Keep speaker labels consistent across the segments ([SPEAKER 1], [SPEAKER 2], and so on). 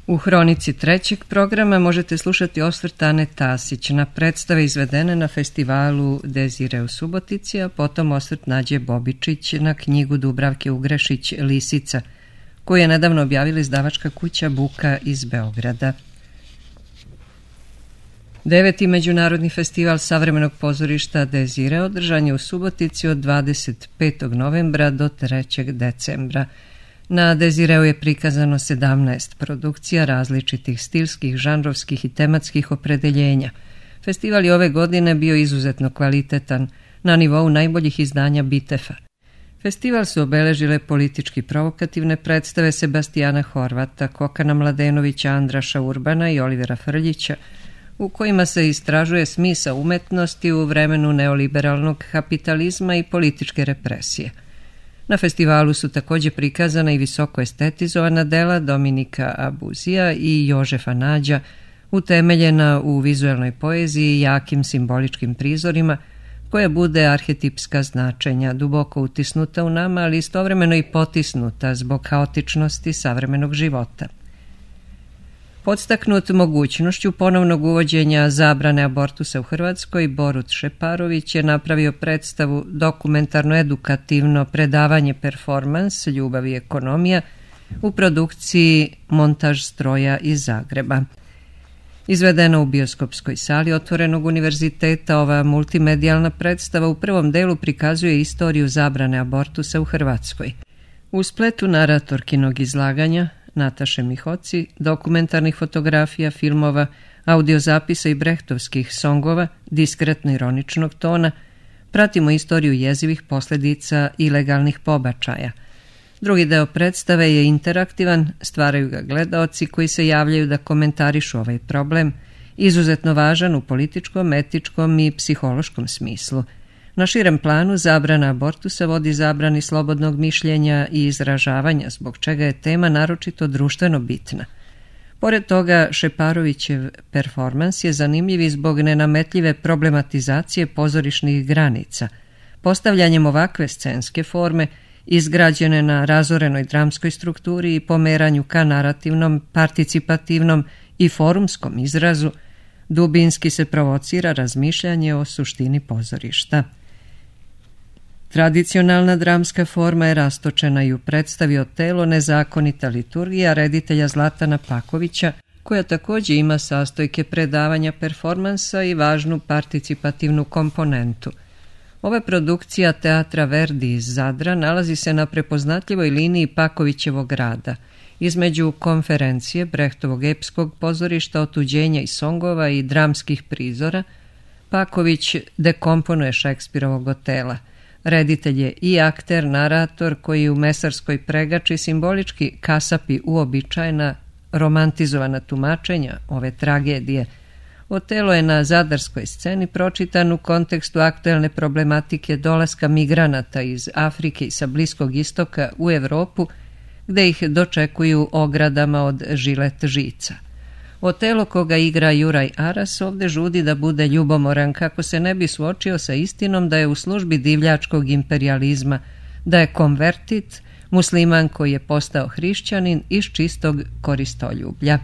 [SPEAKER 1] U hronici trećeg programa možete slušati osvrt Ane Tasić na predstave izvedene na festivalu Desire u Subotici, a potom osvrt Nađe Bobičić na knjigu Dubravke Ugrešić Lisica, koju je nedavno objavila izdavačka kuća Buka iz Beograda. 9. Međunarodni festival savremenog pozorišta Desire održan je u Subotici od 25. novembra do 3. decembra. Na Desireu je prikazano 17 produkcija različitih stilskih, žanrovskih i tematskih opredeljenja. Festival je ove godine bio izuzetno kvalitetan, na nivou najboljih izdanja Bitefa. Festival su obeležile politički provokativne predstave Sebastijana Horvata, Kokana Mladenovića, Andraša Urbana i Olivera Frljića, u kojima se istražuje smisao umetnosti u vremenu neoliberalnog kapitalizma i političke represije. Na festivalu su također prikazana i visoko estetizovana dela Dominika Abuzija i Jožefa Nađa, utemeljena u vizuelnoj poeziji i jakim simboličkim prizorima, koja bude arhetipska značenja, duboko utisnuta u nama, ali istovremeno i potisnuta zbog haotičnosti savremenog života. Podstaknut mogućnošću ponovnog uvođenja zabrane abortusa u Hrvatskoj, Borut Šeparović je napravio predstavu dokumentarno-edukativno predavanje performans Ljubav i ekonomija u produkciji Montaž stroja iz Zagreba. Izvedena u bioskopskoj sali Otvorenog univerziteta, ova multimedijalna predstava u prvom delu prikazuje istoriju zabrane abortusa u Hrvatskoj. U spletu naratorkinog izlaganja Nataše Mihoci, dokumentarnih fotografija, filmova, audiozapisa i brehtovskih songova diskretno-ironičnog tona pratimo istoriju jezivih posljedica ilegalnih pobačaja. Drugi deo predstave je interaktivan, stvaraju ga gledaoci koji se javljaju da komentarišu ovaj problem, izuzetno važan u političkom, etičkom i psihološkom smislu. Na širem planu zabrana abortusa vodi zabrani slobodnog mišljenja i izražavanja, zbog čega je tema naročito društveno bitna. Pored toga, Šeparovićev performans je zanimljiv i zbog nenametljive problematizacije pozorišnih granica. Postavljanjem ovakve scenske forme, izgrađene na razorenoj dramskoj strukturi i pomeranju ka narativnom, participativnom i forumskom izrazu, dubinski se provocira razmišljanje o suštini pozorišta. Tradicionalna dramska forma je rastočena i u predstavi Otelo nezakonita liturgija reditelja Zlatana Pakovića, koja također ima sastojke predavanja performansa i važnu participativnu komponentu. Ova produkcija Teatra Verdi iz Zadra nalazi se na prepoznatljivoj liniji Pakovićevog rada, između konferencije Brehtovog epskog pozorišta, otuđenja i songova i dramskih prizora. Paković dekomponuje Šekspirovog Otela. Reditelj je i akter, narator koji u mesarskoj pregači simbolički kasapi uobičajena romantizovana tumačenja ove tragedije. Otelo je na zadarskoj sceni pročitan u kontekstu aktuelne problematike dolaska migranata iz Afrike i sa Bliskog istoka u Europu, gde ih dočekuju ogradama od žilet žica. Otelo, koga igra Juraj Aras, ovde žudi da bude ljubomoran kako se ne bi suočio sa istinom da je u službi divljačkog imperijalizma, da je konvertit, musliman koji je postao hrišćanin iz čistog koristoljublja.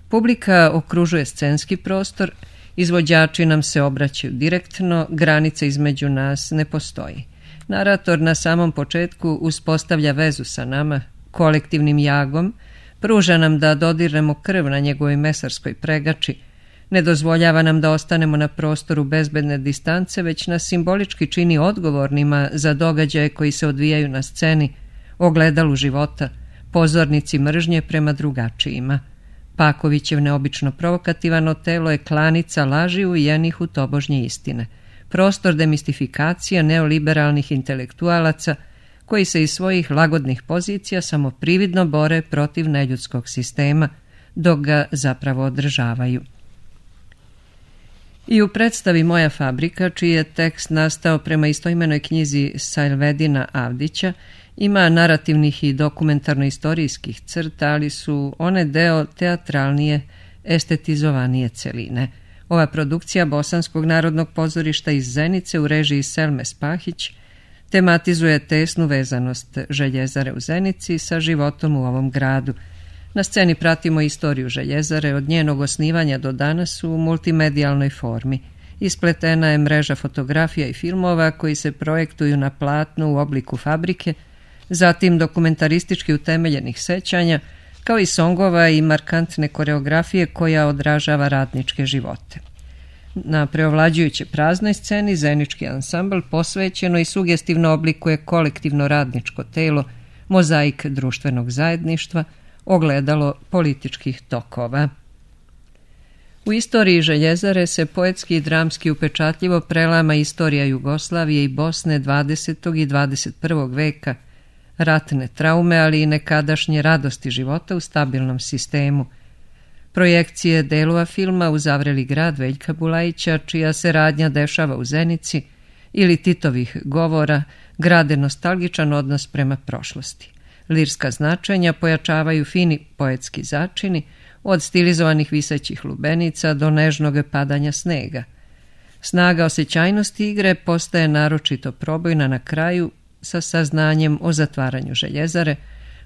[SPEAKER 1] Publika okružuje scenski prostor, izvođači nam se obraćaju direktno, granice između nas ne postoji. Narator na samom početku uspostavlja vezu sa nama, kolektivnim jagom, pruža nam da dodirnemo krv na njegovoj mesarskoj pregači, ne dozvoljava nam da ostanemo na prostoru bezbedne distance, već nas simbolički čini odgovornima za događaje koji se odvijaju na sceni, ogledalu života, pozornici mržnje prema drugačijima. Pakovićev neobično provokativan Otelo je klanica laži uvijenih u tobožnje istine, prostor demistifikacija neoliberalnih intelektualaca koji se iz svojih lagodnih pozicija samo prividno bore protiv neljudskog sistema, dok ga zapravo održavaju. I u predstavi Moja fabrika, čiji je tekst nastao prema istoimenoj knjizi Sajlvedina Avdića, ima narativnih i dokumentarno-istorijskih crta, ali su one deo teatralnije, estetizovanije celine. Ova produkcija Bosanskog narodnog pozorišta iz Zenice u režiji Selme Spahić tematizuje tesnu vezanost Željezare u Zenici sa životom u ovom gradu. Na sceni pratimo istoriju Željezare od njenog osnivanja do danas u multimedijalnoj formi. Ispletena je mreža fotografija i filmova koji se projektuju na platnu u obliku fabrike, zatim dokumentaristički utemeljenih sećanja, kao i songova i markantne koreografije koja odražava radničke živote. Na preovlađujuće praznoj sceni zenički ansambl posvećeno i sugestivno oblikuje kolektivno radničko telo, mozaik društvenog zajedništva, ogledalo političkih tokova. U istoriji Željezare se poetski i dramski upečatljivo prelama istorija Jugoslavije i Bosne 20. i 21. veka, ratne traume, ali i nekadašnje radosti života u stabilnom sistemu. Projekcije delova filma uz Zavreli grad Veljka Bulajića, čija se radnja dešava u Zenici, ili Titovih govora, grade nostalgičan odnos prema prošlosti. Lirska značenja pojačavaju fini poetski začini, od stilizovanih visećih lubenica do nežnog padanja snega. Snaga osjećajnosti igre postaje naročito probojna na kraju sa saznanjem o zatvaranju Željezare,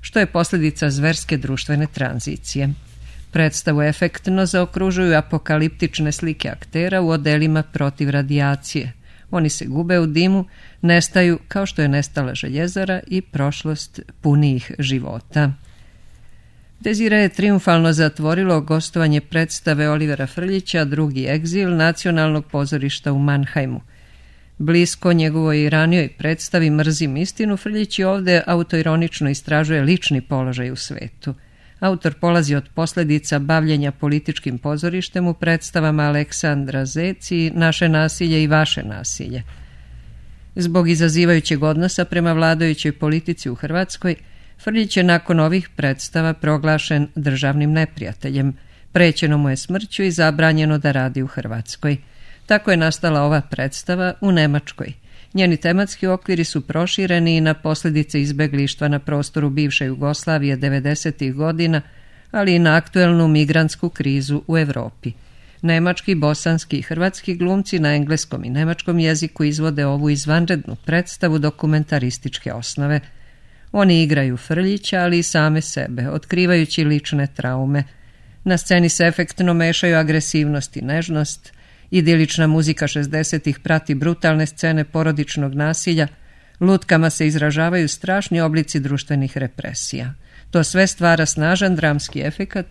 [SPEAKER 1] što je posljedica zverske društvene tranzicije. Predstavu efektno zaokružuju apokaliptične slike aktera u odelima protiv radijacije. Oni se gube u dimu, nestaju kao što je nestala Željezara i prošlost punijih života. Dezire je triumfalno zatvorilo gostovanje predstave Olivera Frljića Drugi egzil Nacionalnog pozorišta u Mannheimu. Blisko njegovoj ranijoj predstavi Mrzim istinu, Frljić i ovdje autoironično istražuje lični položaj u svetu. Autor polazi od posljedica bavljenja političkim pozorištem u predstavama Aleksandra Zec i Naše nasilje i vaše nasilje. Zbog izazivajućeg odnosa prema vladajućoj politici u Hrvatskoj, Frljić je nakon ovih predstava proglašen državnim neprijateljem, prećeno mu je smrću i zabranjeno da radi u Hrvatskoj. Tako je nastala ova predstava u Nemačkoj. Njeni tematski okviri su prošireni i na posljedice izbeglištva na prostoru bivše Jugoslavije 90. godina, ali i na aktuelnu migrantsku krizu u Europi. Nemački, bosanski i hrvatski glumci na engleskom i nemačkom jeziku izvode ovu izvanrednu predstavu dokumentarističke osnove. Oni igraju Frljića, ali i same sebe, otkrivajući lične traume. Na sceni se efektno mešaju agresivnost i nežnost, idilična muzika 60-ih prati brutalne scene porodičnog nasilja, lutkama se izražavaju strašni oblici društvenih represija. To sve stvara snažan dramski efekat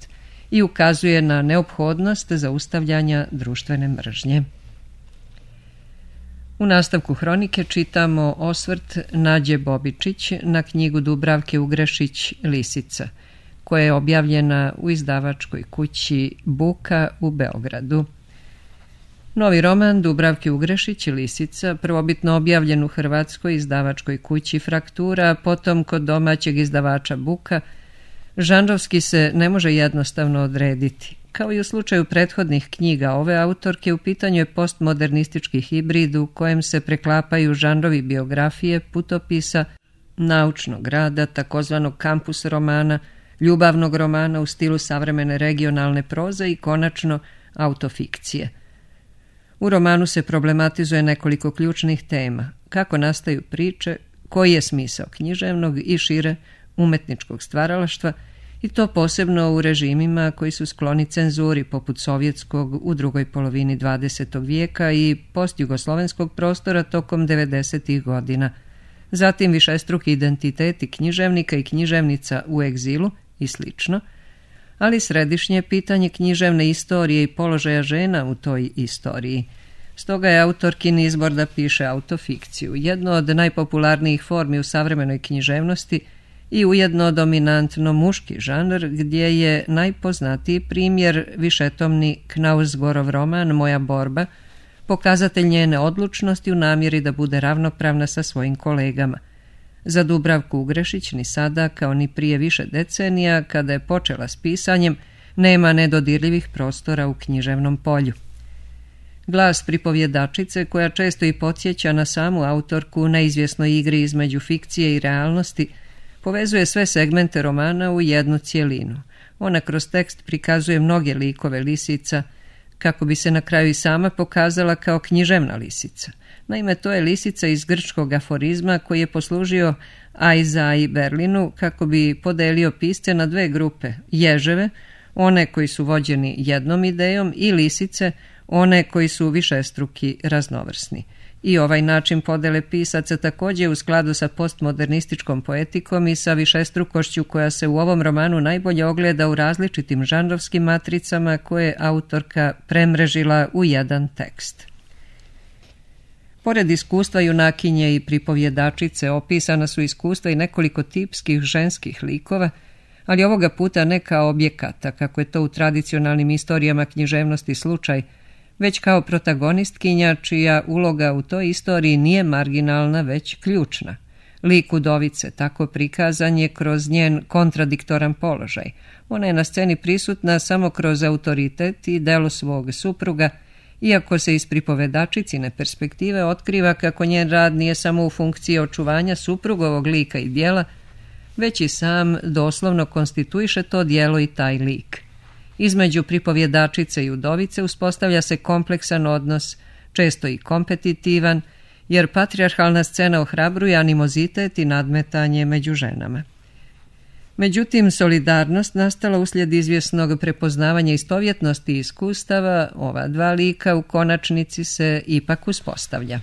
[SPEAKER 1] i ukazuje na neophodnost zaustavljanja društvene mržnje. U nastavku hronike čitamo osvrt Nađe Bobičić na knjigu Dubravke Ugrešić Lisica, koja je objavljena u izdavačkoj kući Buka u Beogradu. Novi roman Dubravke Ugrešić Lisica, prvobitno objavljen u hrvatskoj izdavačkoj kući Fraktura, a potom kod domaćeg izdavača Buka, žanrovski se ne može jednostavno odrediti. Kao i u slučaju prethodnih knjiga ove autorke, u pitanju je postmodernistički hibrid u kojem se preklapaju žanrovi biografije, putopisa, naučnog rada, takozvanog kampus romana, ljubavnog romana u stilu savremene regionalne proze i konačno autofikcije. U romanu se problematizuje nekoliko ključnih tema: kako nastaju priče, koji je smisao književnog i šire umetničkog stvaralaštva, i to posebno u režimima koji su skloni cenzuri poput sovjetskog u drugoj polovini 20. vijeka i postjugoslovenskog prostora tokom 90. godina. Zatim višestruki identiteti književnika i književnica u egzilu i slično, ali središnje pitanje književne istorije i položaja žena u toj istoriji. Stoga je autorkin izbor da piše autofikciju, jedno od najpopularnijih formi u savremenoj književnosti i ujedno dominantno muški žanr, gdje je najpoznatiji primjer višetomni Knausgorov roman Moja borba, pokazatelj njene odlučnosti u namjeri da bude ravnopravna sa svojim kolegama. Za Dubravku Ugrešić ni sada, kao ni prije više decenija, kada je počela s pisanjem, nema nedodirljivih prostora u književnom polju. Glas pripovjedačice, koja često i podsjeća na samu autorku u neizvjesnoj igri između fikcije i realnosti, povezuje sve segmente romana u jednu cjelinu. Ona kroz tekst prikazuje mnoge likove lisica, kako bi se na kraju i sama pokazala kao književna lisica. Naime, to je lisica iz grčkog aforizma koji je poslužio Aizai Berlinu kako bi podelio pisce na dve grupe: ježeve, one koji su vođeni jednom idejom, i lisice, one koji su višestruki, raznovrsni. I ovaj način podele pisaca također je u skladu sa postmodernističkom poetikom i sa višestrukošću koja se u ovom romanu najbolje ogleda u različitim žanrovskim matricama koje je autorka premrežila u jedan tekst. Pored iskustva junakinje i pripovjedačice opisana su iskustva i nekoliko tipskih ženskih likova, ali ovoga puta ne kao objekata, kako je to u tradicionalnim istorijama književnosti slučaj, već kao protagonistkinja čija uloga u toj istoriji nije marginalna, već ključna. Lik udovice, tako prikazan, je kroz njen kontradiktoran položaj. Ona je na sceni prisutna samo kroz autoritet i delo svog supruga, iako se iz pripovedačicine perspektive otkriva kako njen rad nije samo u funkciji očuvanja suprugovog lika i djela, već i sam doslovno konstituiše to djelo i taj lik. Između pripovjedačice i udovice uspostavlja se kompleksan odnos, često i kompetitivan, jer patrijarhalna scena ohrabruje animozitet i nadmetanje među ženama. Međutim, solidarnost nastala uslijed izvjesnog prepoznavanja istovjetnosti i iskustava ova dva lika u konačnici se ipak uspostavlja.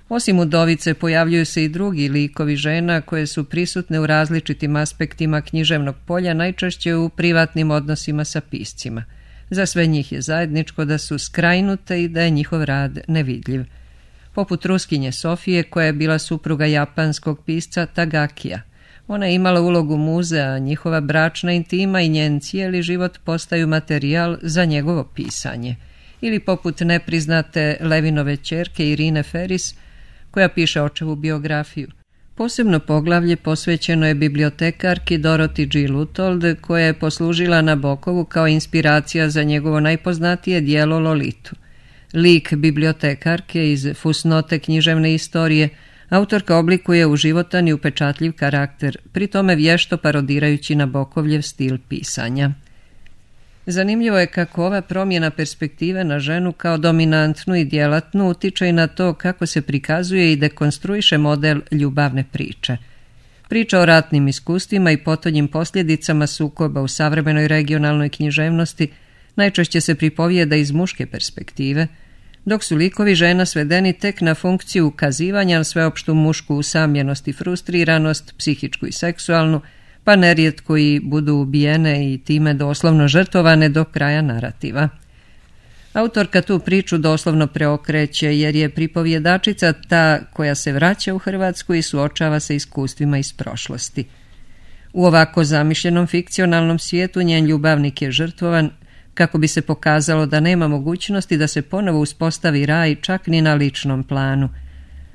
[SPEAKER 1] Osim udovice pojavljuju se i drugi likovi žena koje su prisutne u različitim aspektima književnog polja, najčešće u privatnim odnosima sa piscima. Za sve njih je zajedničko da su skrajnute i da je njihov rad nevidljiv. Poput Ruskinje Sofije, koja je bila supruga japanskog pisca Tagakija. Ona je imala ulogu muze, a njihova bračna intima i njen cijeli život postaju materijal za njegovo pisanje. Ili poput nepriznate Levinove ćerke Irine Ferris, koja piše očevu biografiju. Posebno poglavlje posvećeno je bibliotekarki Dorothy G. Luthold, koja je poslužila Nabokovu kao inspiracija za njegovo najpoznatije djelo Lolitu. Lik bibliotekarke iz fusnote književne istorije autorka oblikuje u životan i upečatljiv karakter, pri tome vješto parodirajući Nabokovljev stil pisanja. Zanimljivo je kako ova promjena perspektive na ženu kao dominantnu i djelatnu utiče i na to kako se prikazuje i dekonstruiše model ljubavne priče. Priča o ratnim iskustvima i potonjim posljedicama sukoba u savremenoj regionalnoj književnosti najčešće se pripovijeda iz muške perspektive, dok su likovi žena svedeni tek na funkciju ukazivanja na sveopštu mušku usamljenost i frustriranost, psihičku i seksualnu, pa nerijetko i budu ubijene i time doslovno žrtvovane do kraja narativa. Autorka tu priču doslovno preokreće, jer je pripovjedačica ta koja se vraća u Hrvatsku i suočava se iskustvima iz prošlosti. U ovako zamišljenom fikcionalnom svijetu njen ljubavnik je žrtvovan, kako bi se pokazalo da nema mogućnosti da se ponovo uspostavi raj čak ni na ličnom planu.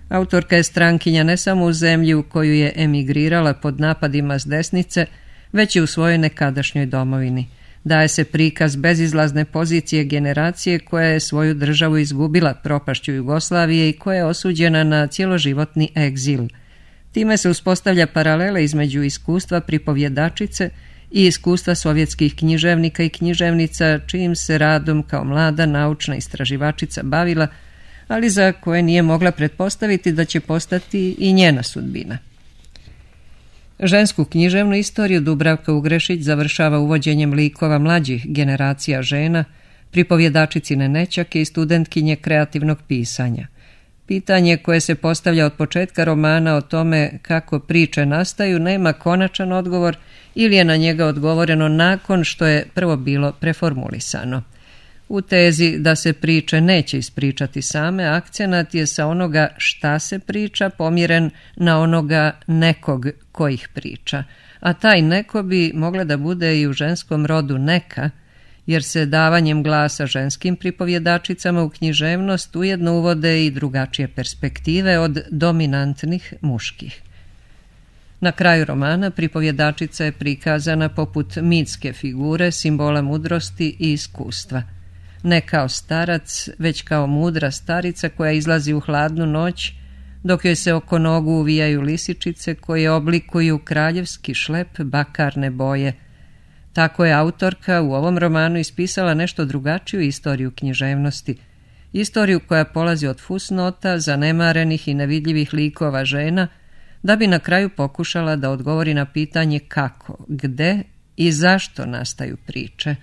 [SPEAKER 1] Autorka je strankinja ne samo u zemlji u koju je emigrirala pod napadima s desnice, već i u svojoj nekadašnjoj domovini. Daje se prikaz bezizlazne pozicije generacije koja je svoju državu izgubila propašću Jugoslavije i koja je osuđena na cjeloživotni egzil. Time se uspostavlja paralela između iskustva pripovjedačice i iskustva sovjetskih književnika i književnica, čijim se radom kao mlada naučna istraživačica bavila, ali za koje nije mogla pretpostaviti da će postati i njena sudbina. Žensku književnu istoriju Dubravka Ugrešić završava uvođenjem likova mlađih generacija žena, pripovjedačicine nećake i studentkinje kreativnog pisanja. Pitanje koje se postavlja od početka romana o tome kako priče nastaju nema konačan odgovor ili je na njega odgovoreno nakon što je prvo bilo preformulisano. U tezi da se priče neće ispričati same, akcenat je sa onoga šta se priča pomjeren na onoga nekog ko ih priča, a taj neko bi mogla da bude i u ženskom rodu neka, jer se davanjem glasa ženskim pripovjedačicama u književnost ujedno uvode i drugačije perspektive od dominantnih muških. Na kraju romana pripovjedačica je prikazana poput mitske figure, simbola mudrosti i iskustva. Ne kao starac, već kao mudra starica koja izlazi u hladnu noć, dok joj se oko nogu uvijaju lisičice koje oblikuju kraljevski šlep bakarne boje. Tako je autorka u ovom romanu ispisala nešto drugačiju istoriju književnosti, istoriju koja polazi od fusnota, zanemarenih i nevidljivih likova žena, da bi na kraju pokušala da odgovori na pitanje kako, gde i zašto nastaju priče.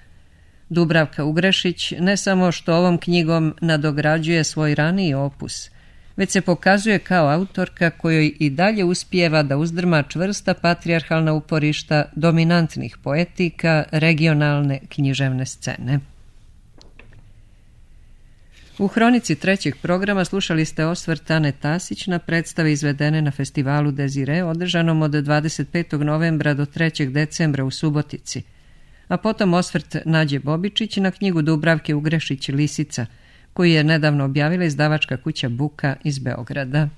[SPEAKER 1] Dubravka Ugrešić ne samo što ovom knjigom nadograđuje svoj raniji opus, već se pokazuje kao autorka kojoj i dalje uspijeva da uzdrma čvrsta patrijarhalna uporišta dominantnih poetika regionalne književne scene. U hronici trećeg programa slušali ste osvrt Ane Tasić na predstave izvedene na festivalu Desire, održanom od 25. novembra do 3. decembra u Subotici, a potom osvrt Nađe Bobičić na knjigu Dubravke Ugrešić Lisica, koju je nedavno objavila izdavačka kuća Buka iz Beograda.